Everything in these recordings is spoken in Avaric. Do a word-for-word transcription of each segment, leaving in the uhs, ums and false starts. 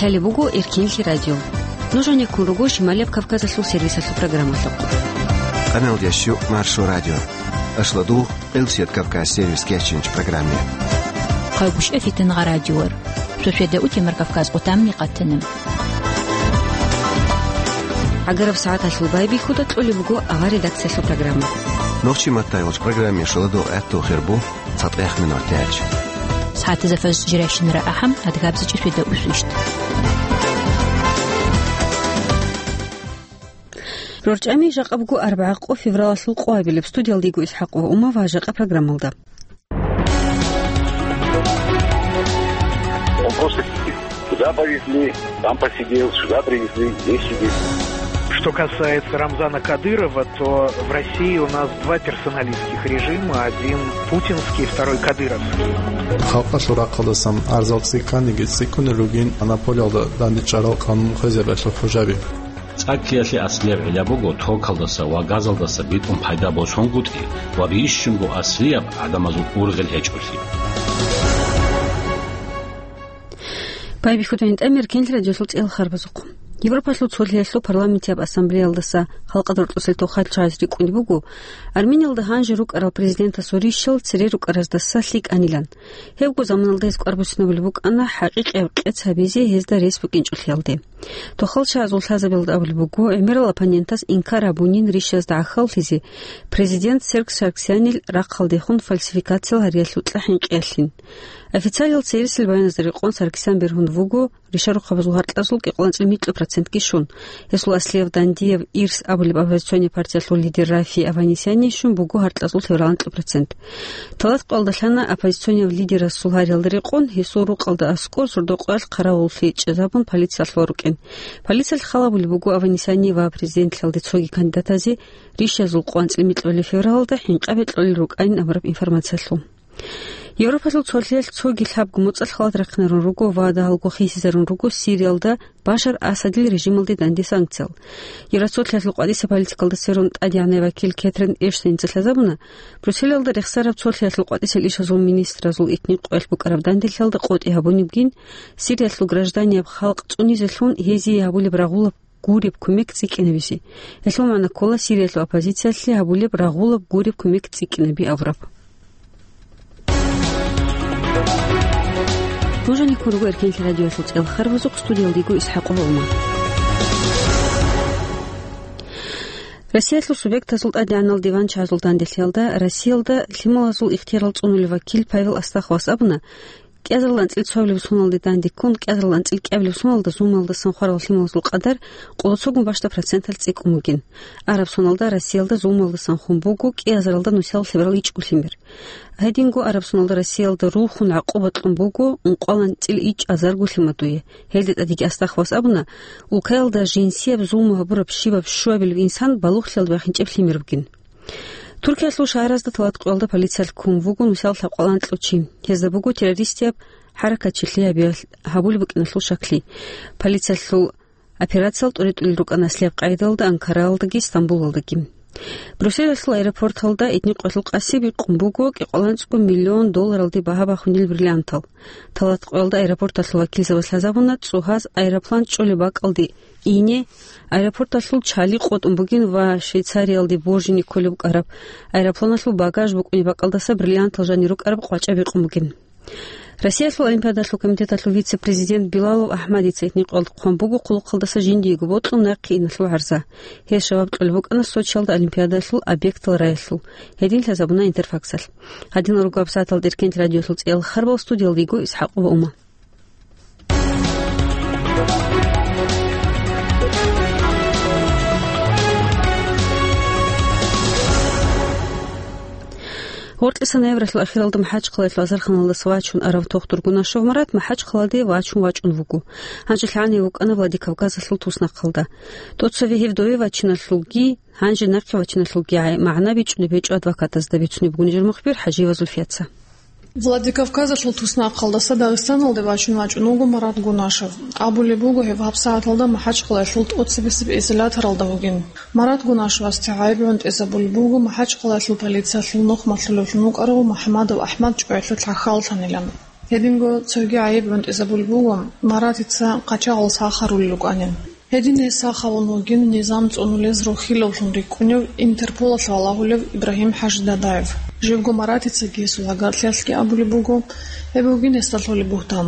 Лъалеб буго Эркенлъи радио. Нуж гьанеккун руго Шималияб Кавказалъул сервисалъул программалъухъ. Къаналда щу Маршо радио. Ашладугъ Элсият Кавказ сервис кечинч программе. Хъагушев Фитнагъа радиор. Сосведа утемар Кавказ къутамни къатанам. ГӀагараб сагӀаталъул байбихьуда кьолеб буго авар редакциялъул программа. Нохчи маттай гъоч программе шаладугъ гӀатту хирбу. ЦатӀех минутач. СагӀатазда фаз жирайщинара ахӀам, адгабзичӀи светда усвищт. РорчӀами жакъа буго арбагӀа къо февралалъул къоабилеб. Студиялда йиго ИсхӀакъ ва Ума ва жакъа программалда. Он просто сидит. Туда повезли, там посидел, сюда привезли, здесь сидит. Что касается Рамзана Кадырова, то в России у нас два персоналистских режима, один путинский, второй кадыровский. Халкъалъул рахъалдасан арзал цӀикӀкӀаниги цӀикӀкӀунел ругин Анаполиялда дандечӀарал къанун хвезабиялъул хӀужаби. ЦӀаккиялъе аслияб гӀилла буго токалдаса ва газалдаса битӀун пайда босунгутӀи ва бищунго аслияб гӀадамазул ургъел гьечӀолъи. Байбихьуда гьинтӀам Эркенлъи радиолъул цӀел харбазухъ. Европалъул цолъиялъул парламентияб ассамблеялдаса халкъалда рорцӀусел тохал чагӀаз рикӀкӀунеб буго, Армениялда гьанже рукӀарал президентасул рищал цере рукӀараздаса лъикӀанилан. Гьебго заманалда гьез кӀвар буссинабулеб букӀана хӀакъикъияб къец гьабизе гьезда рес букӀинчӀолъиялде. Тохал чагӀазул лъазабиялда абулеб буго, гӀемерал оппонентас инкар гьабунин рищазда гӀахьаллъизе, президент Серж Саргсянил рахъалдехун фальсификациял гьариялъул кьа-хӀинкъиялъин. Официалиял цересел баяназда рекъон Саргсян бергьун вуго ришарухъабазул гьаркьазул кӀикъоялда цӀикӀкӀун микьу процентги щун. Гьесул аслияб дандияб ирс абулеб оппозиционный партиялъул лидер Рафи Аванесяни щун буго гьаркьазул гьеб рагӀан кӀикъу процент. Талат къоялда лъана оппозиционияв лидерасул гьариялда рекъон, гьесул рукъалда аскӀор сордо-къоялъ хъаравуллъи чӀезабун полициялъ варукӀин. Полициялъ хал гьабулеб буго Аванесяни ва президентлъиялде цоги кандидатазе рищазул къванцӀил микьулеб февралалда хӀинкъабе кьолел рукӀанин абураб информациялъул. Европалъул цолъиялъ цоги лъабго моцӀалъ халат рахъинарун руго ва дагьалго хисизарун руго Сириялда Башар Асадил режималде данде санкциял. Евроцолъиялъул къватӀиса политикалда сверун тӀадегӀанай вакил Кетрин Эштеница лъазабуна, Брюсселалда рехсараб цолъиялъул къватӀисел ишазул министразул итни къоялъ букӀараб данделъиялда къотӀи гьабунебгин, Сириялъул гражданияб халкъ цӀунизелъун гьезие гьабулеб рагъулаб гуреб кумек цӀикӀкӀинабизе. Гьелъул магӀна ккола Сириялъул оппозициялъе гьабулеб рагъулаб гуреб кумек цӀикӀкӀинаби абураб. Нуж гьанеккун руго Эркенлъи радиоялъул цӀел харбазухъ, студиялда йиго ИсхӀакъ ва Ума. Россиялъул субъектазул тӀадегӀанал диван чагӀазул данделъиялда Россиялда лъималазул ихтиярал цӀунулев вакил Павел Астаховас абуна, кӀиазарал анцӀил цоабилеб соналде дандеккун, кӀиазарал анцӀил кӀиабилеб соналда зулмалдасан хварал лъималазул къадар къолоцогун бащда проценталъ цӀикӀкӀун бугин. Араб соналда Россиялда зулмалдасан хун буго кӀиазаралда нусиялъ лъеберал ичӀго лъимер. Гьединго араб соналда Россиялда рухун гӀакъуба кьун буго ункъоялда анцӀил ичӀазарго лъимадуе. Гьелде тӀадеги Астаховас абуна, улкаялда жинсияб зулму гьабураб щибаб щуабилеб инсан балугълъиялда бахинчӀеб лъимер бугин. Туркиялъул шагьаразда талат къоялда полициялъ ккун вуго нусиялъ лъабкъоялда анкьго чи. Гьезда буго террористияб хӀаракатчилъи гьабиялъ гьабулеб букӀиналъул щаклъи. Полициялъул операциялъ тӀуритӀулел рукӀана аслияб къайдалда Анкараялдаги Стамбулалдаги. Брюсселалъул аэропорталда итни къоялъул къаси бикъун буго кӀикъоялда анцӀго миллион долларалде багьа бахунел бриллиантал. Талат къоялда аэропорталъул вакилзабаз лъазабуна цӀогьаз аэроплан чӀолеб бакӀалде ине, аэропорталъул чали къотӀун бугин ва Швейцариялде боржине кколеб букӀараб аэропланалъул багаж букӀунеб бакӀалдаса бриллиантал жанир рукӀараб къвачӀа бикъун бугин. Россиялъул Олимпиадалъул комитеталъул вице-президент Билалов АхӀмадица итни къоялда хъван буго хъулухъалдаса жиндиего бокьун нахъе иналъул гӀарза. Гьес жаваб кьолеб букӀана Сочиялда Олимпиадалъул объектал раялъул. Гьедин лъазабуна Интерфаксалъ. Гьадинал руго гьабсагӀаталда Эркенлъи радиоялъул цӀел харбал, студиялда йиго ИсхӀакъ ва Ума. Гъоркьиса ноябралъул ахиралда МахӀачхъалаялъул азарханалдаса вачун арав Тохтур Гунашев Марат МахӀачхъаладе вачун вачӀун вуго. Гьанже лъагӀанив вукӀана Владикавказалъул туснахъалда. ТӀоцеве гьев дове вачиналъулги, гьанже нахъе вачиналъулги гӀай-, магӀна бичӀчӀулеб гьечӀо адвокатазда, бицунеб буго нижер мухбир ХӀажиева Зульфияца. Владикавказалъул туснахъалдаса Дагъистаналде вачун вачӀун вуго Марат Гунашев. Абулеб буго, гьев гьабсагӀаталда МахӀачхъалаялъул тӀоцебесеб изоляторалда вугин. Марат Гунашевасде гӀайиб гӀунтӀизабулеб буго МахӀачхъалаялъул полициялъул нухмалъулевлъун вукӀарав МухӀамадов АхӀмад чӀваялъулъ гӀахьаллъанилан. Гьединго цоги гӀайиб гӀунтӀизабулеб буго, Маратица къачагъал сахарулел рукӀанин. Гьедин гьес сахавун вугин низам цӀунулез рохилавлъун рикӀкӀунев, Интерполалъ валагьулев Ибрагьим ХӀажидадиев. Живго Маратицаги гьесул гӀагарлъиялъги абулеб буго, гьеб бугин гьесда лъолеб бугьтан.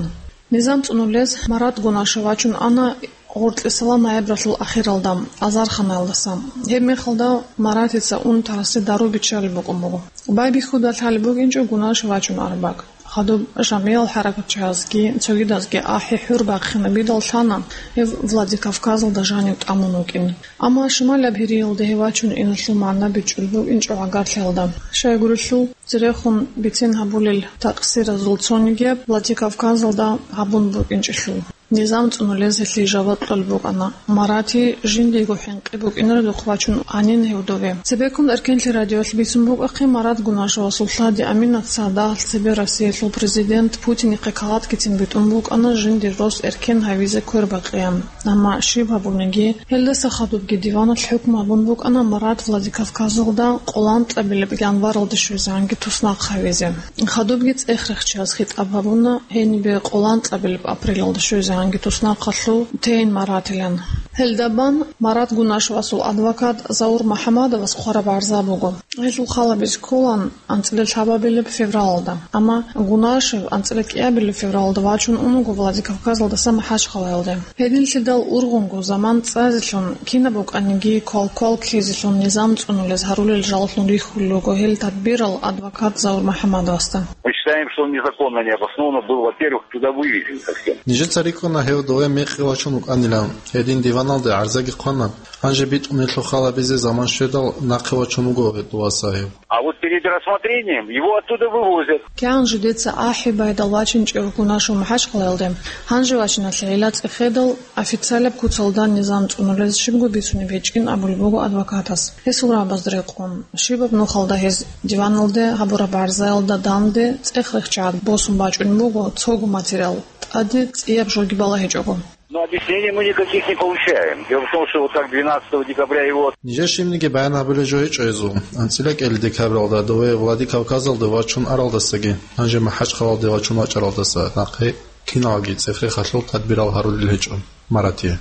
Низам цӀунулез Марат Гунашев вачун ана гъоркьесала ноябралъул ахиралда, азарханаялдаса. Гьеб мехалда Маратица унтарасе дару биччалеб букӀун буго. Байбихьуда лъалеб букӀинчӀо Гунашев вачун араб бакӀ. Хадуб жамгӀиял хӀаракатчагӀазги цогидазги ахӀи-хӀур бахъинабидал лъана гьев Владикавказалда жанив тӀамун вукӀин. Амма шималаб Гьириялде гьев вачун иналъул магӀна бичӀчӀулеб букӀинчӀо гӀагарлъиялда. Щайгурелъул, церехун бицен гьабулел такъсиразул цонигияб Владикавказалда гьабун букӀинчӀелъул. Низам цӀунулез гьелъие жаваб кьолеб букӀана. Марати жиндиего хӀинкъи букӀинаредухъ вачун анин гьев дове. Цебеккун Эркенлъи радиоялъ бицун букӀахъе, Марат Гунашевасул лъади Аминатица дагьалъ цебе Россиялъул президент Путинихъе каладкицин битӀун букӀана жиндир рос эркен гьавизе квербакъеян. Амма щиб гьабуниги, гьелдаса хадубги диваналъ хӀукму гьабун букӀана Марат Владикавказалда къолан кьабилеб январалда щвезегӀанги туснахъ гьавизе. Хадубги цӀех рехчияз хитӀаб гьабуна гьенибе къолан кьабилеб апрелалда щвезегӀанги туснахъалъув тейин Маратилан. Гьелда бан Марат Гунашевасул адвокат Заур МухӀаммадовас хъвараб гӀарза буго. Гьелъул халабизе кколаан анцӀила лъабабилеб февралалда. Амма Гунашев анцӀила кӀиабилеб февралалда вачун ун вуго Владикавказалдаса МахӀачхъалаялде. Гьединлъидал ургъунго заман цӀазелъун, кинаб букӀаниги квал-квал ккезелъун низам цӀунулез гьарулел жаллъун рихьулел руго гьел тадбирал адвокат Заур МухӀаммадовасда. Мы считаем, что он незаконно, необоснованно был, во-первых, туда вывезен совсем. Нижеца рикӀкӀуна гьев дове мекъи вачун вукӀанилан, гьедин диваналде гӀарзаги хъвана. Гьанже битӀун гьелъул халабизе заман щведал, нахъе вачун вуго гьев дова сагьиб. А вот перед рассмотрением его оттуда вывозят. КигӀан жидеца ахӀи байдал вачинчӀев Гунашев МахӀачхъалаялде, гьанже вачиналъе гӀилла цӀехедал, официалаб куцалда низам цӀунулез щибго бицунеб гьечӀин абулеб буго адвокатас. Гьесул рагӀабазда рекъон, щибаб нухалда гьез диваналде гьабураб гӀарзаялда данде цӀех рехчагӀат босун бачӀунеб буго цого материал, тӀаде цӀияб жоги балагьичӀого. Но объяснений мы никаких не получаем. Дело в том, что вот так двенадцатого декабря его... Нижер щибниги баян гьабулеб жо гьечӀо гьезул. АнцӀила кӀел декабралда дове Владикавказалде вачун аралдасаги, гьанже МахӀачхъалаялде вачун вачӀаралдаса нахъе киналги цӀех рехалъул тадбирал гьарулел гьечӀо Маратие.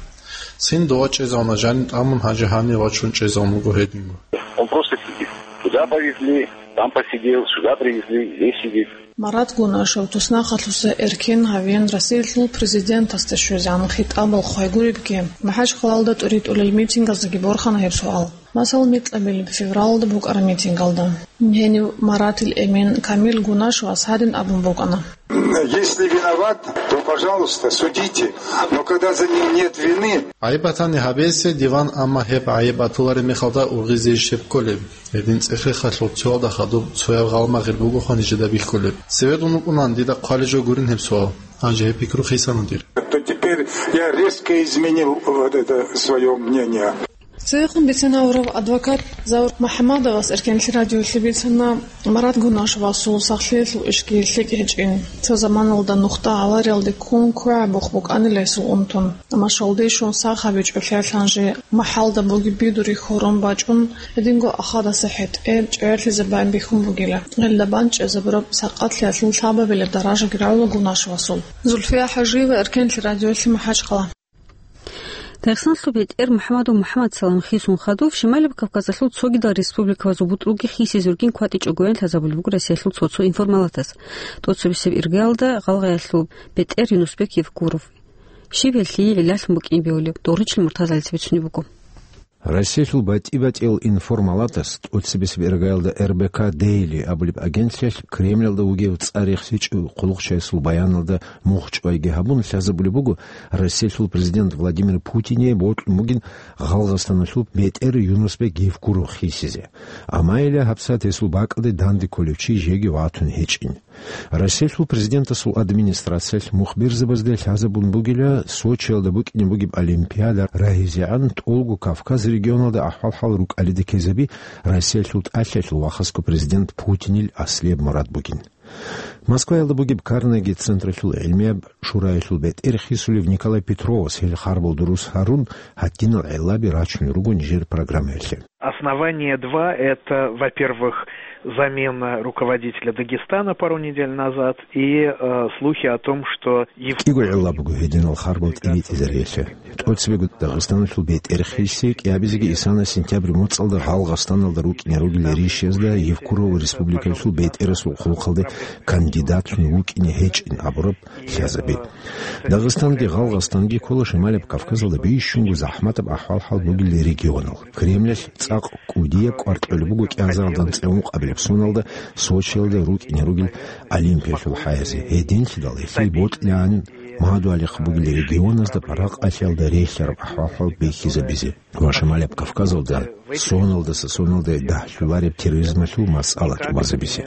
Цин дова чӀезавуна жанив тӀамун, гьанже гьанив вачун чӀезавун вуго гьединго. Он просто сидит. Туда повезли, там посидел, сюда привезли, здесь сидит. Марат Гунашев туснахъалъуса эркен гьавеян Россиялъул президентасда щвезегӀан хитӀабал хъвайгуребги, МахӀачхъалаялда тӀуритӀулел митингаздеги борхана гьеб суал. Масала, микьабилеб февралалда букӀараб митингалда гьенив Маратил Эмин Камил Гунашевас гьадин абун букӀана. Если виноват, то, пожалуйста, судите. Но когда за ним нет вины... ГӀайиб батани гьабезе диван, амма гьеб гӀайиб батулареб мехалда ургъизе щиб кколеб? Гьедин цӀех рехалъул цоялда хадуб цояб гъалмагъир бугоха нижеда бихьулеб. Цеве дун вукӀунан дида хъвалеб жо гурин гьеб суал. Гьанже гьеб пикру хисанудир. То теперь я резко изменил вот это своё мнение. Цевехун бицен гьавурав адвокат Заур МухӀаммадовас Эркенлъи радиолъе бицана Марат Гунашевасул сахлъиялъул ишги лъикӀ гьечӀин. Цо заманалда нухда авариялде ккун квегӀабухъ букӀанила гьесул унтун. Амма щолдей щун сах гьабичӀолъиялъ гьанже махӀалда бугеб бидури хьорун бачӀун, гьединго ахадаса хӀетӀе чӀегӀерлъизе бан бихьун бугила. Гьелда бан чӀезабураб сакъатлъиялъул лъабабилеб даражаги рагӀула Гунашевасул. Зульфия ХӀажиева, Эркенлъи радиолъи, МахӀачхъала. Дагъистаналъул бетӀер МухӀамадов МухӀамадсалам хисун хадуб Шималаб Кавказалъул цогидал республикабазул бутӀруги хисизе ругин кватӀичӀого гьанлъазабулеб буго Россиялъул цо-цо информалатас. ТӀоцебесеб иргаялда гъалгъаялъул бетӀер Юнусбек Евкуров. Щиб гьелъие гӀиллалъун букӀин бегьулеб, Доричил Муртазалица бицунеб буго. Россиялъул батӀи-батӀиял информалатас тӀоцебесеб иргаялда Р Б К Дейли абулеб агентлъиялъ Кремльалда вугев цӀар рехсичӀев хъулухъчиясул баяналда мухчӀвайги гьабун лъазабулеб буго Россиялъул президент Владимир Путине бокьун бугин Гъалгъастаналъул бетӀер Юнусбек Евкуров хисизе. Амма гьеле гьабсагӀат гьесул бакӀалде данде кколев чи жеги ватун гьечӀин. Россиялъул президентасул администрациялъ мухберзабазда лъазабун бугила Сочиялда букӀине бугеб Олимпиада рагьизегӀан тӀолго Кавказ регионалда ахӀвал-хӀал рукӀалида ккезаби Россиялъул тӀалъиялъул вахасго президент Путинил аслияб мурад бугин. Москваялда бугеб Карнеги централъул гӀилмияб шураялъул бетӀер хисулев Николай Петровас гьел харбал дурус гьарун, гьадинал гӀеллаби рачун руго нижер программаялъе. Основание два — это, во-первых, замена руководителя Дагестана пару недель назад и, э, слухи о том, что Ев- КӀиго гӀилла буго гьединал харбал тӀибитӀизариялъе. ТӀоцебего Дагъистаналъул бетӀер хиси кӀиабизеги исана сентябрь моцӀалда Гъалгъастаналда рукӀине ругел ришиязда Евкурова республикалъул бетӀерасул хъулухъалде кандидатлъун вукӀине гьечӀин абураб лъазаби. Дагъистанги Гъалгъастанги ккола Шималаб Кавказалда бищунго захӀматаб ахӀвал-хӀал бугел регионал. Кремлалъ цӀакъ кӀудияб кӀвар кьолеб буго кӀиазаралдан цӀе ункъабилеб соналда Сочиялда рукӀине ругел Олимпиялъул хӀаязе. Гьединлъидал гьелъие бокьилаан мадугьалихъ бугел регионазда паракъалъиялда релълъараб ахӀвал-хӀал бихьизабизе ва Шималаб Кавказалда соналдаса соналде дагьлъулареб терроризмалъул масъала тӀубазабизе.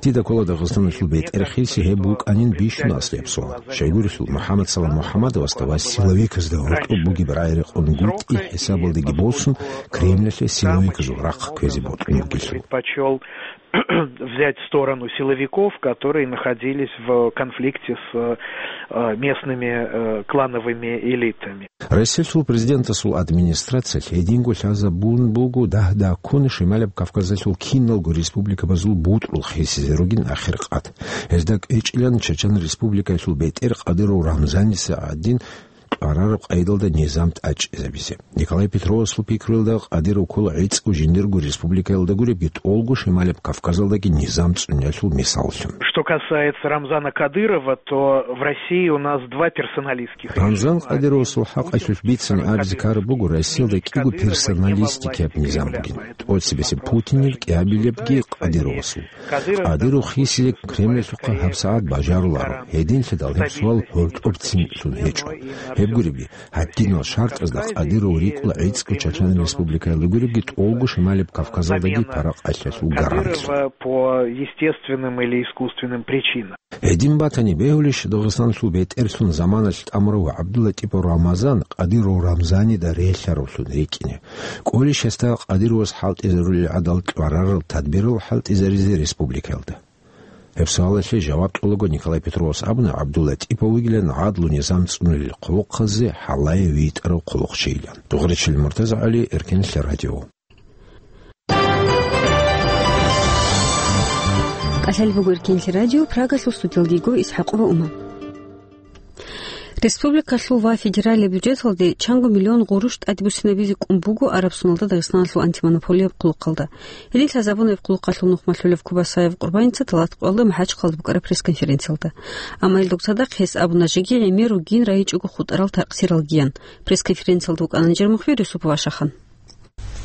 Дида ккола Дагъистаналъул бетӀер хиси гьеб букӀанин бищун аслияб суал. Щайгурелъул МухӀаммад Салам МухӀаммадовасда ва силовиказда гьоркьоб бугеб рагӀи-рекъон гутӀи хӀисабалдеги босун, Кремлалъе силовиказул рахъ кквезе бокьун бугелъул. Предпочёл взять сторону силовиков, которые находились в конфликте с, э, местными, э, клановыми элитами. Россиялъул президентасул администрациялъ гьединго лъазабун буго дагь-дагьккун Шималаб Кавказалъул киналго республикабазул бутӀрул хисизе ругин ахир къат. Гьезда кӀвечӀилан Чечен Республикаялъул бетӀер Кадыров Рамзаница гӀадин кьварараб къайдалда низам тӀадчӀезабизе. Николай Петровасул пикруялда, Кадыров ккола гӀицӀго жиндирго республикаялда гуребги, тӀолго Шималаб Кавказалдаги низам цӀуниялъул мисаллъун. Что касается Рамзана Кадырова, то в России у нас два персоналистских. Рамзан Кадыровасул хӀакъалъулъ бицани абизе ккараб буго Россиялда кӀиго персоналистикияб низам бугин. ТӀоцебесеб Путинил, кӀиабилебги Кадыровасул. Кадыров хисизе Кремлалъухъа гьабсагӀат бажаруларо. Гьединлъидал гьеб суал гьоркьоб цинлъун гьечӀо. Гьеб гуребги, гьадинал шартӀазда Кадыров рикӀкӀула гӀицӀго Чечен Республикаялда гуребги, тӀолго Шималаб Кавказалдаги паракъалъиялъул гарантлъун. Кадырова по естественным или искусственным причинам. Гьедин батани, бегьулищ Дагъистаналъул бетӀерлъун заманалъ тӀамурав ГӀабдуллатӀипов Рамазан Кадыров Рамзанида релълъаравлъун рикӀкӀине? КӀолищ гьесда Кадыровас хӀалтӀизарулел гӀадал кьварарал тадбирал хӀалтӀизаризе республикаялда? Гьеб суалалъе жаваб кьолаго Николай Петровас абуна ГӀабдуллатӀипов вугилан гӀадлу-низам цӀунулел хъулухъазе гьалае витӀарав хъулухъчийилан. Дугъричил МуртазагӀали, Эркенлъа радио. КӀалъалеб буго Эркенлъа радио, Прагалъул студиялда йиго ИсхӀакъова Ума. Республикалъул ва федералияб бюджеталде чанго миллион гъурущ тӀадбуссинабизе кӀун буго араб соналда Дагъистаналъул антимонополияб хъулухъалда. Гьедин лъазабуна гьеб хъулухъалъул нухмалъулев Кубасаев Къурбаница тӀалатӀкъоялда МахӀачхъалда букӀараб пресс-конференциялда. Амма гьелдаса цадахъ гьес абуна жеги гӀемер ругин райичӀого хутӀарал таркъсиралгиян. Пресс-конференциялда вукӀана Нажир Мухъюр, Юсупова Шахан.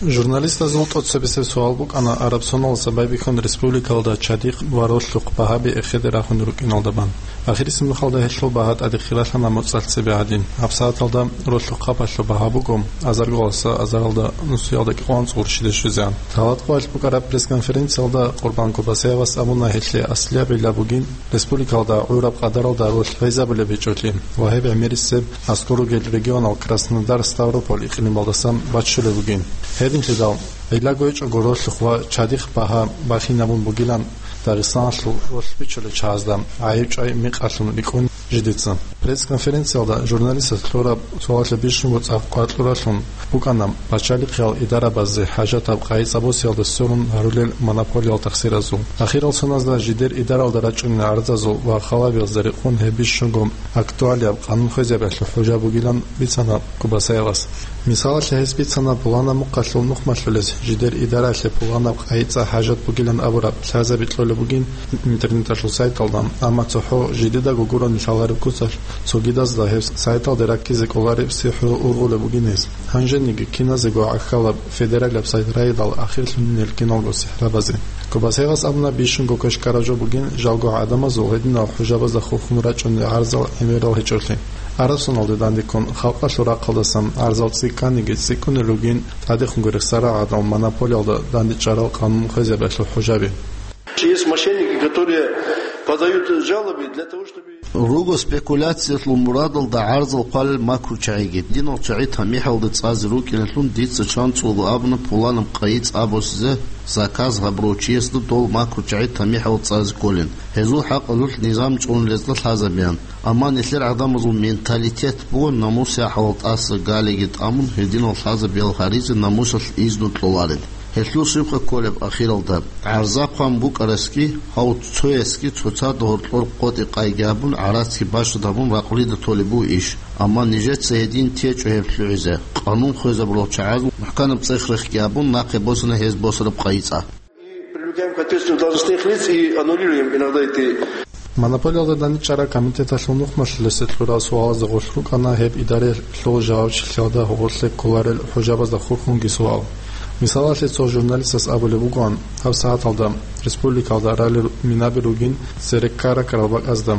Журналистазул тӀоцебесеб суал букӀана араб соналдаса байбихьун республикалда чадихъ ва ролъухъ багьаби эхеде рахун рукӀиналда бан. Ахирисеб нухалда гьелъул багьа тӀаде хиралъана моцӀалъ цебе гӀадин. ГьабсагӀаталда ролъухъ хъапалъул багьа буго азарго гъаласа азаралда нусиялда кӀикъоялда анцӀго гъурущиде щвезегӀан. ТӀалатӀкъоялъ букӀараб пресс-конференциялда Къурбан Кубасаевас абуна гьелъие аслияб гӀилла бугин республикалда гӀураб къадаралда ролъ гӀезабулеб гьечӀолъи ва гьеб гӀемерисеб аскӀор ругел регионал Краснодар, Ставрополь икълималдасан баччулеб бугин. Гьединлъидал гӀилла гьечӀого ролъухъ ва чадихъ багьа бахинабун бугилан Дагъистаналъул ролъ бичулел чагӀазда гӀайиб-чӀвай мекъалъун рикӀкӀун жидеца. Пресс-конференциялда журналистаз кьураб суалалъе бищунго цӀакъ къвакьуралъун букӀана пачалихъиял идарабазде хӀажатаб къайи-цӀа босиялда сверун гьарулел монополиял тахсиразул. Ахирал соназда жидер идаралда рачӀунел гӀарзазул ва халабиялда рекъон гьеб бищунго актуалияб къанун хвезабиялъул хӀужа бугилан бицана Кубасаевас. Мисалалъе, гьес бицана пуланаб мухъалъул нухмалъулез жидер идаралъе пуланаб къайи-цӀа хӀажат бугилан абураб лъазаби кьолеб бугин интернеталъул сайталда, амма цохӀо жидедаго гурони лъалареб куцалъ цогидазда гьеб сайталде раккизе кӀолареб сихӀру ургъулеб бугин гьес. Гьанжениги киназего гӀахьалаб федералияб сайт райдал ахирлъунинел киналго сихӀрабазе. Кубасаевас абуна бищунго квеш ккараб жо бугин жалго гӀадамазул гьединал хӀужабазда хурхун рачӀунел гӀарзал гӀемерал гьечӀолъи. Араб соналде дандеккун халкъалъул рахъалдасан гӀарзал цӀикӀкӀаниги цӀикӀкӀунел ругин, тӀадехунго рехсарал гӀадал монополиялда дандечӀарал къанун хвезабиялъул хӀужаби. Есть мошенники, которые подают жалобы для того, чтобы Руго спекуляциялъул мурадалда гӀарзал хъвалел макручагӀиги. Динал чагӀи тамихӀалда цӀазе рукӀиналъун дица чанцӀулго абуна пуланаб къайи цӀа босизе заказ гьабурав чиясда дол макручагӀи тамихӀал цӀазе кколин. Гьезул хӀакъалъулъ низам цӀунулезда лъазабеян. Амма нилъер гӀадамазул менталитет буго намус-яхӀалал тӀаса галиги тӀамун, гьединал лъазабиял гьаризе намусалъ изну кьоларел. Гьелъул щибха кколеб ахиралда? ГӀарза хъван букӀарасги, гьав цоясги цоцазда гьоркьор къотӀи-къайги абун, гӀарацги бащад гьабун ракълида толеб буго иш. Амма нижеца гьедин течӀо гьеб лъугӀизе. Къанун хвезабурал чагӀазул мухӀканаб цӀех-рехги абун, нахъе босана гьез босараб къайи цӀа. И привлекаем к ответственности должностных лиц и аннулируем иногда эти. Монополиялда данде чӀараб комитеталъул нухмалъулесе кьурал суалазда гъорлъ рукӀана гьеб идараялъул жавабчилъиялда гъорлъе кколарел хӀужабазда хурхунги суал. Мисалалъе, цо журналистас абулеб бугоан, гьаб сагӀаталда республикалда ралел минаби ругин цере ккара-ккарал бакӀазда.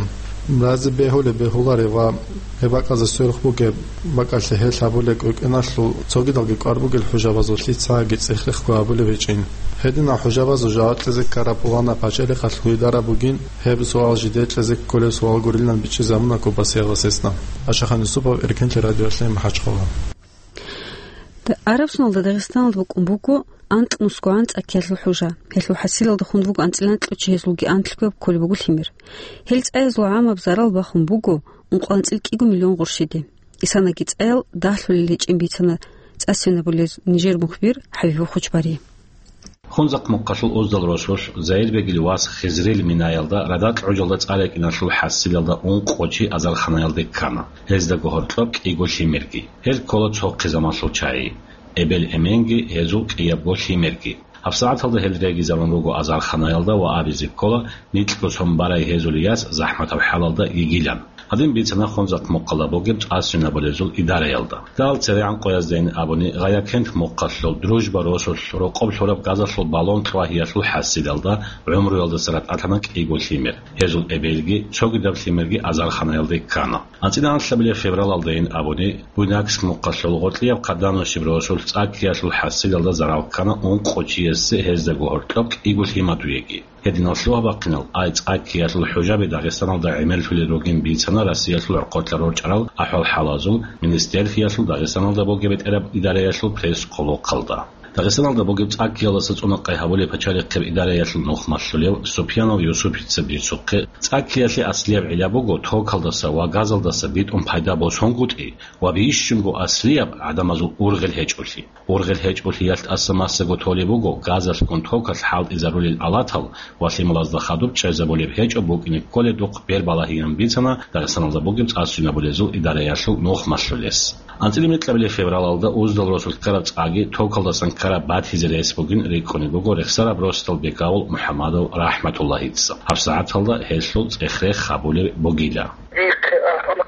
Разе бегьулеб бегьуларе ва гьеб бакӀазда сверухъ бугеб бакӀалъе гьел гьабулеб кӀвекӀеналъул цогидалги кӀвар бугел хӀужабазул лъицаги цӀех-рехго гьабулеб гьечӀин. Гьединал хӀужабазул жаваб кьезе ккараб пуланаб пачалихъалъул идара бугин, гьеб суал жидее кьезе кколеб суал гурилан бичӀчӀизабуна Кубасиялдасесда. Ашахан Юсупов, Эркенлъи радиоялъе, МахӀачхъала. Арабсуналда Дагъистаналда букӀун буго анкь мусгогӀан цӀакиялъул хӀужа. Гьелъул хӀасилалда хун буго анцӀила анкьго чи, гьезулги анлъго кколеб буго лъимер. Гьел цӀаязул гӀамаб зарал бахун буго ункъо анцӀила кӀиго миллион гъурщиде. Исанаги цӀаял дагьлъулел гьечӀин бицана цӀа-сцена болез нижер мухбир ХӀабиб Хучбари. Хунзахъ мухъалъул Уздал росулъ Заирбегил вас Хизрил Минаялда радакь гӀужалда цӀа рекӀиналъул хӀасилалда ункъо чи азарханаялде ккана, гьездаго гьоркьоб кӀиго лъимерги. Гьел ккола цо хъизамалъул чагӀи, эбел-эменги, гьезул кӀиябго лъимерги. ГьабсагӀаталда гьел регизабун руго азарханаялда ва абизе ккола, нилъго сон барай гьезул яс захӀматаб хӀалалда йигилан. Гьадин бицана Хунзахъ мухъалда бугеб цӀа-сцена болезул идараялда. Дагьал церегӀан къояздайин абуни, Гъаякент мухъалъул Дружба росулъ рокъоб лъураб газалъул баллон кьвагьиялъул хӀасилалда гӀумруялдаса ратӀа лъана кӀиго лъимер. Гьезул эбелги, цогидаб лъимерги азарханаялде ккана. АнцӀила анлъабилеб февралалдайин абуни, Буйнакск мухъалъул гъоркьияб Хъаданущиб росулъ цӀа ккиялъул хӀасилалда зарал ккана ункъо чиясе, гьездаго гьоркьоб кӀиго лъимадуеги. Гьединал лъугьа-бахъинал ай цӀа ккиялъул хӀужаби Дагъистаналда гӀемерлъулел ругин бицана Россиялъул гӀоркьотлъа рорчӀарал ахӀвал-хӀалазул министерствиялъул Дагъистаналда бугеб бетӀераб идараялъул пресс-хъулухъалда. Дагъистаналда бугеб цӀа ккиялдаса цӀунахъай гьабулеб пачалихъеб идараялъул нухмалъулев Супьянов Юсупица бицухъе, цӀа ккиялъе аслияб гӀилла буго токалдаса ва газалдаса битӀун пайда босунгутӀи ва бищунго аслияб гӀадамазул ургъел гьечӀолъи. Ургъел гьечӀолъиялъ тӀаса массаго толеб буго газалъгун токалъ хӀалтӀизарулел алатал ва лъималазда хадуб чӀезабулеб гьечӀо букӀине кколедухъ бер балагьиян бицана Дагъистаналда бугеб цӀа-сцена болезул идараялъул нухмалъулес. АнцӀила микьабилеб февралалда Уздал росулъ ккараб цӀаги токалдасан ккараб батизе рес бугин рикӀкӀунеб буго рехсараб росдал Бекавул МухӀаммадов РахӀматуллагьица. ГьабсагӀаталда гьелъул цӀех-рех гьабулеб бугила. Дихъе ахӀун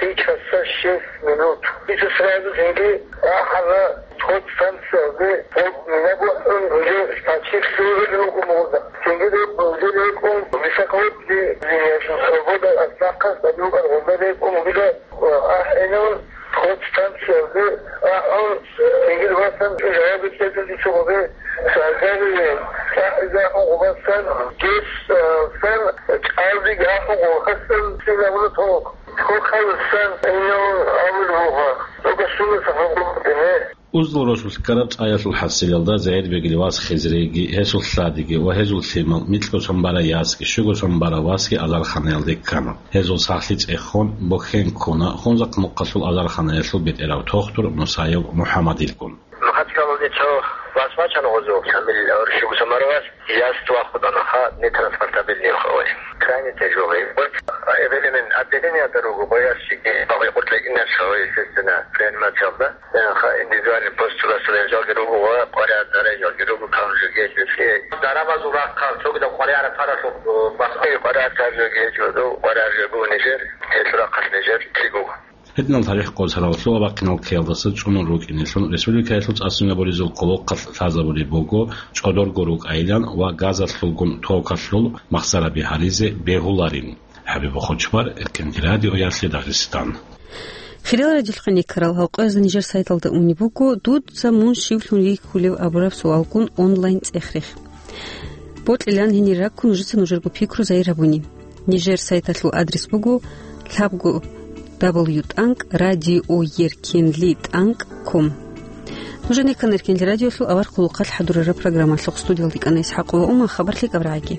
Три часа шесть минут. Иса сразу цинги ахӀана подстанциялде, вот меня бухӀун уже почти все время руго мурда. Цинги де уже рекӀун высоковольтный линия, свобода от знака, стадион аргъунда рекӀун уже ахӀенун подстанциялде ахӀун, цинги васан уже рабитетун дицугъуде шагьарие, ахӀизахун гъубасан, гес, а, сан, чӀалдиги ахӀун гъохасан синагуна ток. Хохалсан инал авул вугъа. Угасуна сахабулгъуне. Уздал росулъ ккараб цӀаялъул хӀасилалда Заирбегил вас Хизриги, гьесул лъадиги ва гьезул лъимал, микьго сон бара ясги, щуго сон бара васги азарханаялде ккана. Гьезул сахлъи цӀехун, бухьен ккуна Хунзахъ мухъалъул азарханаялъул бетӀерав тохтур Мусаев МухӀаммадилгун. Махачкалалде цо вас вачана гъозу, Шамил, ор щуго сон бара вас. Яс вахъунаха нетранспортабельный хавай. Крайне тяжелый. Вот, а, эбелемен отделениеда руго, боящики, багъи къуртла инаш хавай, естественно, реанимациялда. Ха, индивидуальный пост расследования жалги руго ва къваригӀараб жалги руго, кам жеги жеги. Дарамазул рахъал, цогидаб къваригӀараб таралъухъ, э, бахъи къваригӀараб жеги жеги, къваригӀараб жеги нижер, гьелъул рахъалъ нижер лъикӀ буго. Гьединал тарих къосарал лъугьа-бахъинал ккеялдаса цӀунун рукӀинелъун республикаялъул цӀа-сцена болезул къулухъалъ лъазабулеб буго, чӀодорго рукӀайилан ва газалъулгун токалъул махсараби гьаризе бегьуларин. ХӀабиб Хучбар, Эркенлъи радиоялъе Дагъистан. Хириял радиоялъухъ ккарал гьалкъоязда нижер сайталда унеб буго, дуца мун щивлъун вихьулев абураб суалгун онлайн цӀех-рех. Бокьилан гьенир раккун нужеца нужерго пикру загьир гьабуни. Нижер сайталъул адрес буго лъабго дабл ю тӀанкӀ радио еркенли тӀанкӀ ком. Нуж никан Эркенли радиолъул авар къулухъалъ хӀадурараб программалъухъ. Студиялда кӀана ИсхӀакъова Ума. Хабарлъи кӀабрагӀаги.